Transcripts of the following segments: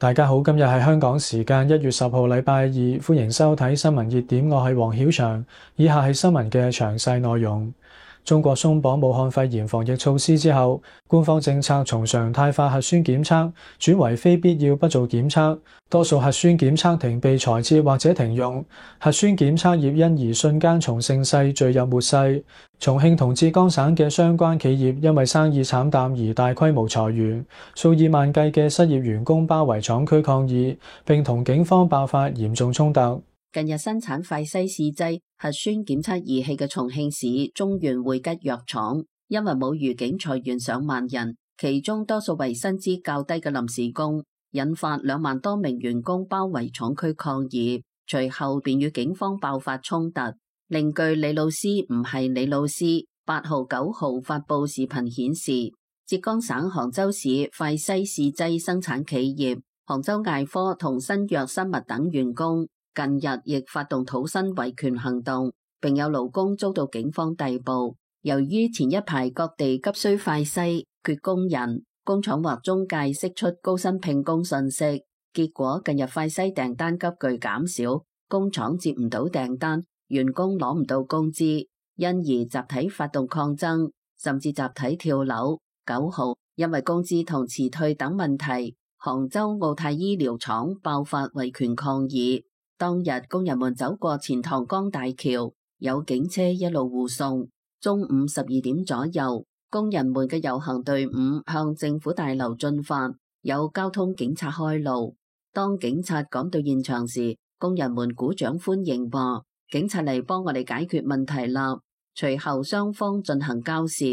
大家好，今日係香港時間1月10號禮拜二，歡迎收睇新聞熱點，我係黃曉翔。以下係新聞嘅詳細內容。中國鬆綁武漢肺炎防疫措施之後，官方政策從常態化核酸檢測轉為非必要不做檢測，多數核酸檢測亭被裁撤或者停用，核酸檢測業因而瞬間從盛世墜入末世。重慶同浙江省嘅相關企業因為生意慘淡而大規模裁員，數以萬計嘅失業員工包圍廠區抗議，並同警方爆發嚴重衝突。近日生產快篩試劑核酸檢測儀器嘅重慶市中原匯吉藥廠，因為冇預警裁員上萬人，其中多數為薪資較低嘅臨時工，引發2萬多名員工包圍廠區抗議，隨後便與警方爆發衝突。另據李老師唔係李老師8號、9號發佈視頻顯示，浙江省杭州市快篩試劑生產企業杭州艾科同新藥生物等員工近日亦發動土薪維權行動，並有勞工遭到警方逮捕。由於前一排各地急需快篩缺工人，工廠或中介釋出高薪聘工信息，結果近日快篩訂單急劇減少，工廠接唔到訂單，員工攞唔到工資，因而集體發動抗爭，甚至集體跳樓。9號因為工資同辭退等問題，杭州奧泰醫療廠爆發維權抗議。當日工人們走過錢塘江大橋，有警車一路護送。中午12點左右，工人們嘅遊行隊伍向政府大樓進發，有交通警察開路。當警察趕到現場時，工人們鼓掌歡迎，話警察嚟幫我哋解決問題啦。隨後雙方進行交涉。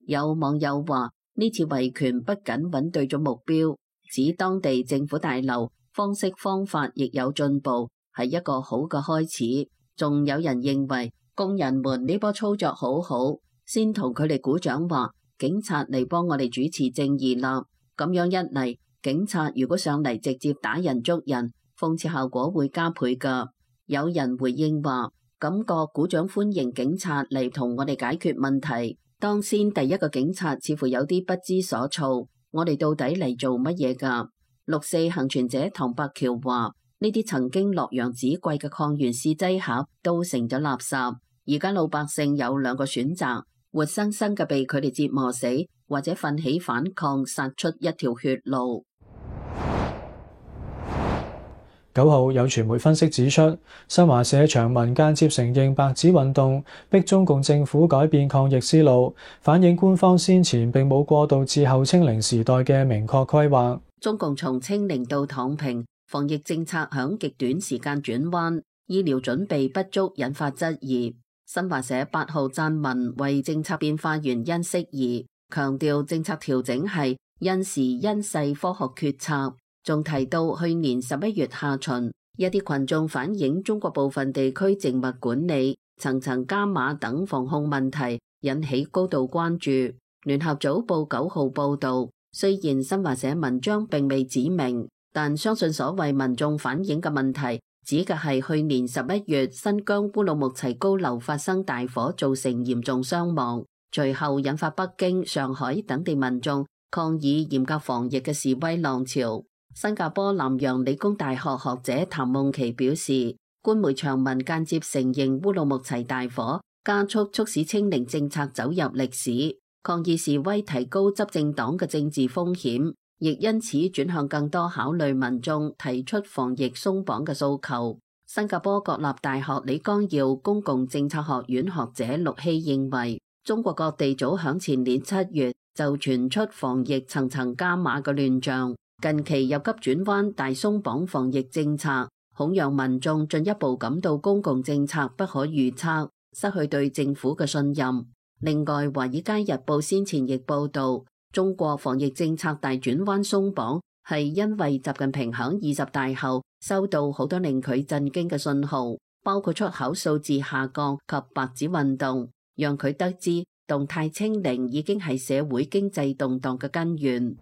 有網友話呢次維權不僅揾對咗目標，指當地政府大樓方式方法亦有進步，係一個好嘅開始。仲有人認為工人們呢波操作好好，先同佢哋鼓掌，話警察嚟幫我哋主持正義啦。咁樣一嚟，警察如果上嚟直接打人捉人，諷刺效果會加倍㗎。有人回應話，感覺鼓掌歡迎警察嚟同我哋解決問題。當先第一個警察似乎有啲不知所措，我哋到底嚟做乜嘢㗎？6·4幸存者唐伯橋話，呢啲曾經洛陽紙貴嘅抗原試劑盒都成咗垃圾，而家老百姓有2個選擇，活生生嘅被佢哋折磨死，或者奮起反抗，殺出一條血路。9號有傳媒分析指出，新華社長文間接承認白紙運動逼中共政府改變抗疫思路，反映官方先前並冇過渡至後清零時代嘅明確規劃。中共從清零到躺平，防疫政策響極短時間轉彎，醫療準備不足引發質疑。新華社8號撰文為政策變化原因釋疑，強調政策調整係因時因勢科學決策。仲提到去年11月下旬，一啲群眾反映中國部分地區靜默管理、層層加碼等防控問題，引起高度關注。聯合早報9號報道，雖然新華社文章並未指明，但相信所謂民眾反映嘅問題，指嘅係去年11月新疆烏魯木齊高樓發生大火，造成嚴重傷亡，隨後引發北京、上海等地民眾抗議嚴格防疫嘅示威浪潮。新加坡南洋理工大學學者譚夢琪表示，官媒長文間接承認烏魯木齊大火加速促使清零政策走入歷史，抗議示威提高執政黨嘅政治風險，亦因此轉向更多考慮民眾提出防疫鬆綁嘅訴求。新加坡國立大學李光耀公共政策學院學者陸希認為，中國各地早響前年7月就傳出防疫層層加碼嘅亂象，近期又急轉彎大鬆綁防疫政策，恐讓民眾進一步感到公共政策不可預測，失去對政府嘅信任。另外，《華爾街日報》先前亦報道，中國防疫政策大轉彎鬆綁係因為習近平響20大後收到好多令佢震驚嘅信號，包括出口數字下降及白紙運動，讓佢得知動態清零已經係社會經濟動盪嘅根源。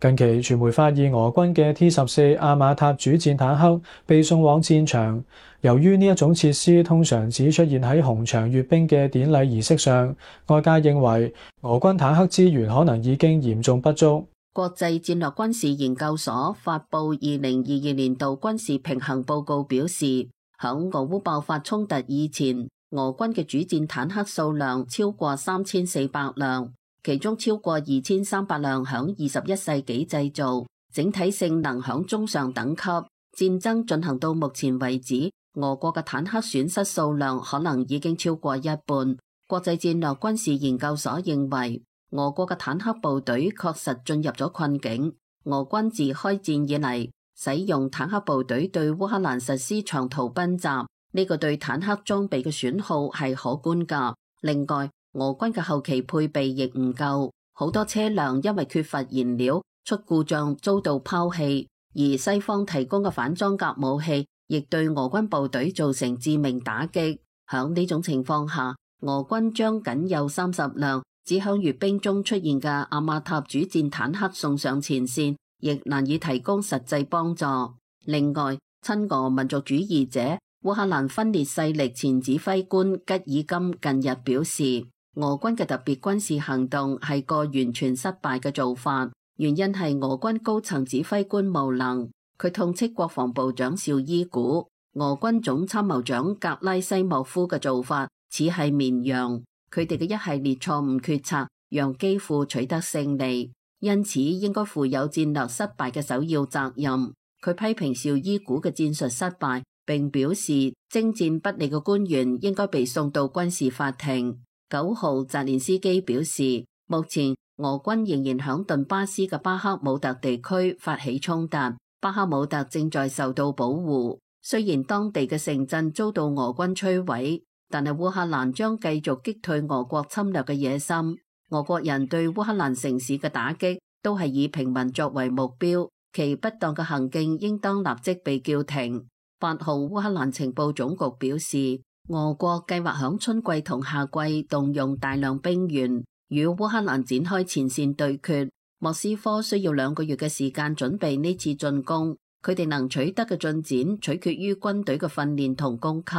近期傳媒發現俄軍嘅 T-14阿馬塔主戰坦克被送往戰場，由於呢一種設施通常只出現喺紅場閱兵嘅典禮儀式上，外界認為俄軍坦克資源可能已經嚴重不足。國際戰略軍事研究所發布2022年度軍事平衡報告表示，響俄烏爆發衝突以前，俄軍嘅主戰坦克數量超過3400輛，其中超過2300輛響21世紀製造，整體性能響中上等級。戰爭進行到目前為止，俄國嘅坦克損失數量可能已經超過一半。國際戰略軍事研究所認為，俄國嘅坦克部隊確實進入咗困境。俄軍自開戰以嚟，使用坦克部隊對烏克蘭實施長途奔襲，呢個對坦克裝備嘅損耗係可觀㗎。另外，俄軍嘅後期配備亦唔夠，好多車輛因為缺乏燃料出故障遭到拋棄，而西方提供嘅反裝甲武器亦對俄軍部隊造成致命打擊。響呢種情況下，俄軍將僅有30輛只響閱兵中出現嘅阿馬塔主戰坦克送上前線，亦難以提供實際幫助。另外，親俄民族主義者烏克蘭分裂勢力前指揮官吉爾金近日表示，俄軍嘅特別軍事行動係個完全失敗嘅做法，原因係俄軍高層指揮官無能。佢痛斥國防部長紹伊古、俄軍總參謀長格拉西莫夫嘅做法似係綿羊，佢哋嘅一系列錯誤決策讓基輔取得勝利，因此應該負有戰略失敗嘅首要責任。佢批評紹伊古嘅戰術失敗，並表示征戰不利嘅官員應該被送到軍事法庭。9號澤連斯基表示，目前俄軍仍然響頓巴斯嘅巴克姆特地區發起衝突，巴克姆特正在受到保護。雖然當地嘅城鎮遭到俄軍摧毀，但係烏克蘭將繼續擊退俄國侵略嘅野心。俄國人對烏克蘭城市嘅打擊都係以平民作為目標，其不當嘅行徑應當立即被叫停。8號烏克蘭情報總局表示，俄國計劃響春季同夏季動用大量兵員與烏克蘭展開前線對決。莫斯科需要2個月嘅時間準備呢次進攻，佢哋能取得嘅進展取決於軍隊嘅訓練同供給。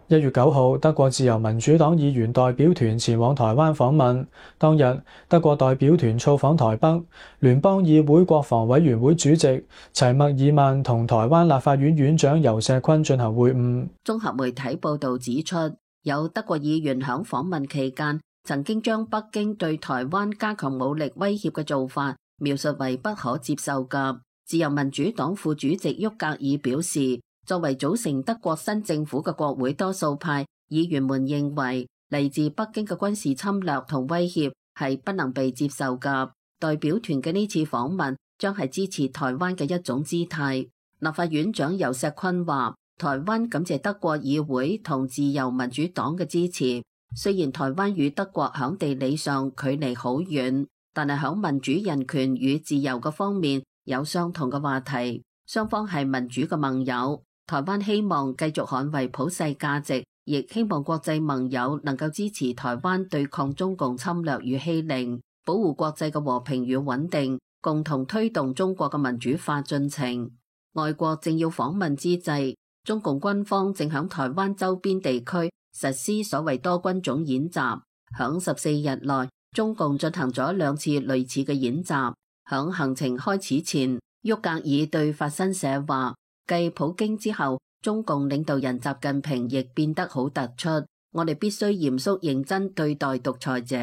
1月9號，德國自由民主黨議員代表團前往台灣訪問。當日，德國代表團造訪台北，聯邦議會國防委員會主席齊默爾曼同台灣立法院院長游錫堃進行會晤。綜合媒體報導指出，有德國議員響訪問期間曾經將北京對台灣加強武力威脅嘅做法描述為不可接受嘅。自由民主黨副主席沃格爾表示，作為組成德國新政府嘅國會多數派議員們認為，嚟自北京嘅軍事侵略同威脅係不能被接受嘅。代表團嘅呢次訪問將係支持台灣嘅一種姿態。立法院長游錫堃話，台灣感謝德國議會同自由民主黨嘅支持。雖然台灣與德國響地理上距離好遠，但係響民主、人權與自由嘅方面有相同嘅話題，雙方係民主嘅盟友。台灣希望繼續捍衛普世價值，亦希望國際盟友能夠支持台灣對抗中共侵略與欺凌，保護國際嘅和平與穩定，共同推動中國嘅民主化進程。外國正要訪問之際，中共軍方正響台灣周邊地區實施所謂多軍種演習。響14日內，中共進行咗2次類似嘅演習。響行程開始前，沃格爾對法新社話，繼普京之後，中共領導人習近平亦變得好突出。我哋必須嚴肅認真對待獨裁者。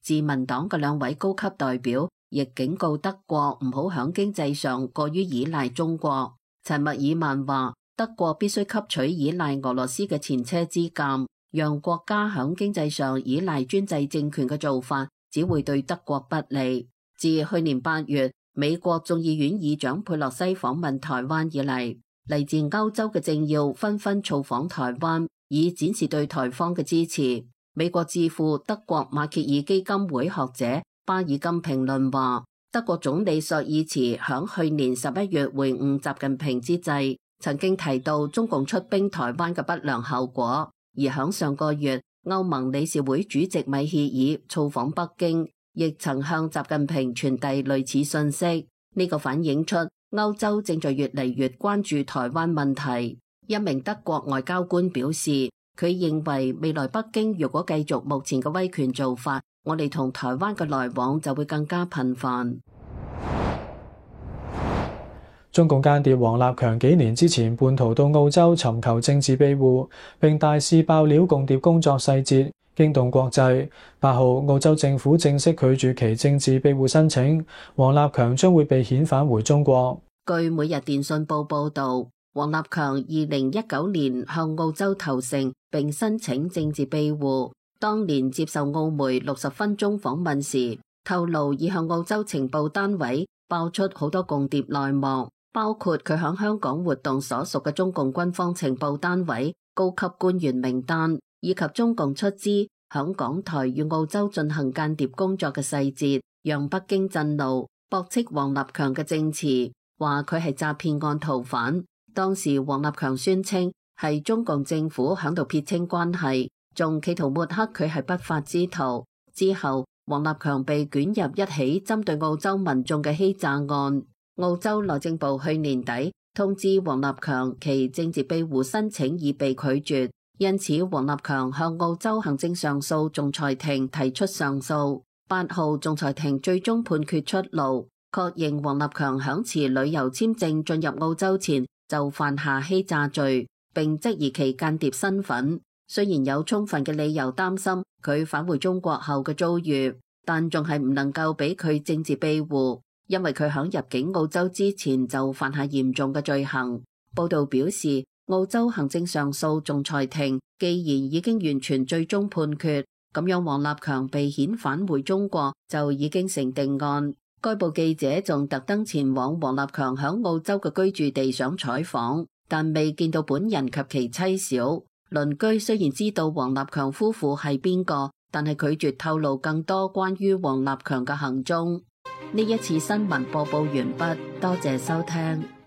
自民黨嘅2位高級代表亦警告德國唔好響經濟上過於依賴中國。齊默爾曼話，德國必須吸取依賴俄羅斯嘅前車之鑑，讓國家響經濟上依賴專制政權嘅做法只會對德國不利。自去年8月，美國眾議院議長佩洛西訪問台灣以嚟，嚟自歐洲嘅政要紛紛造訪台灣，以展示對台方嘅支持。美國智庫德國馬歇爾基金會學者巴爾金評論話，德國總理朔爾茨響去年11月會晤習近平之際，曾經提到中共出兵台灣嘅不良後果，而響上個月，歐盟理事會主席米歇爾造訪北京，亦曾向習近平傳遞類似信息。呢個反映出歐洲正在越嚟越關注台灣問題。一名德國外交官表示，佢認為未來北京如果繼續目前嘅威權做法，我哋同台灣嘅來往就會更加頻繁。中共間諜王立強幾年之前叛逃到澳洲尋求政治庇護，並大肆爆料共諜工作細節，驚動國際。8號，澳洲政府正式拒絕其政治庇護申請，王立強將會被遣返回中國。據每日電訊報報導，王立強2019年向澳洲投誠並申請政治庇護，當年接受澳媒60分鐘訪問時，透露已向澳洲情報單位爆出好多共諜內幕，包括佢響香港活動所屬嘅中共軍方情報單位高級官員名單，以及中共出資響港台與澳洲進行間諜工作嘅細節，讓北京震怒，駁斥王立強嘅證詞，話佢係詐騙案逃犯。當時王立強宣稱係中共政府響度撇清關係，仲企圖抹黑佢係不法之徒。之後，王立強被捲入一起針對澳洲民眾嘅欺詐案。澳洲內政部去年底通知王立強其政治庇護申請已被拒絕，因此王立強向澳洲行政上訴仲裁庭提出上訴。8號，仲裁庭最終判決出爐，確認王立強響持旅遊簽證進入澳洲前就犯下欺詐罪，並質疑其間諜身份。雖然有充分嘅理由擔心佢返回中國後嘅遭遇，但仲係唔能夠俾佢政治庇護，因為佢響入境澳洲之前就犯下嚴重嘅罪行。報道表示，澳洲行政上訴仲裁庭既然已經完全最終判決，咁樣王立強被遣返回中國就已經成定案。該報記者仲特登前往王立強響澳洲嘅居住地想採訪，但未見到本人及其妻小。鄰居雖然知道王立強夫婦係邊個，但係拒絕透露更多關於王立強嘅行蹤。呢一次新聞播報完畢，多謝收聽。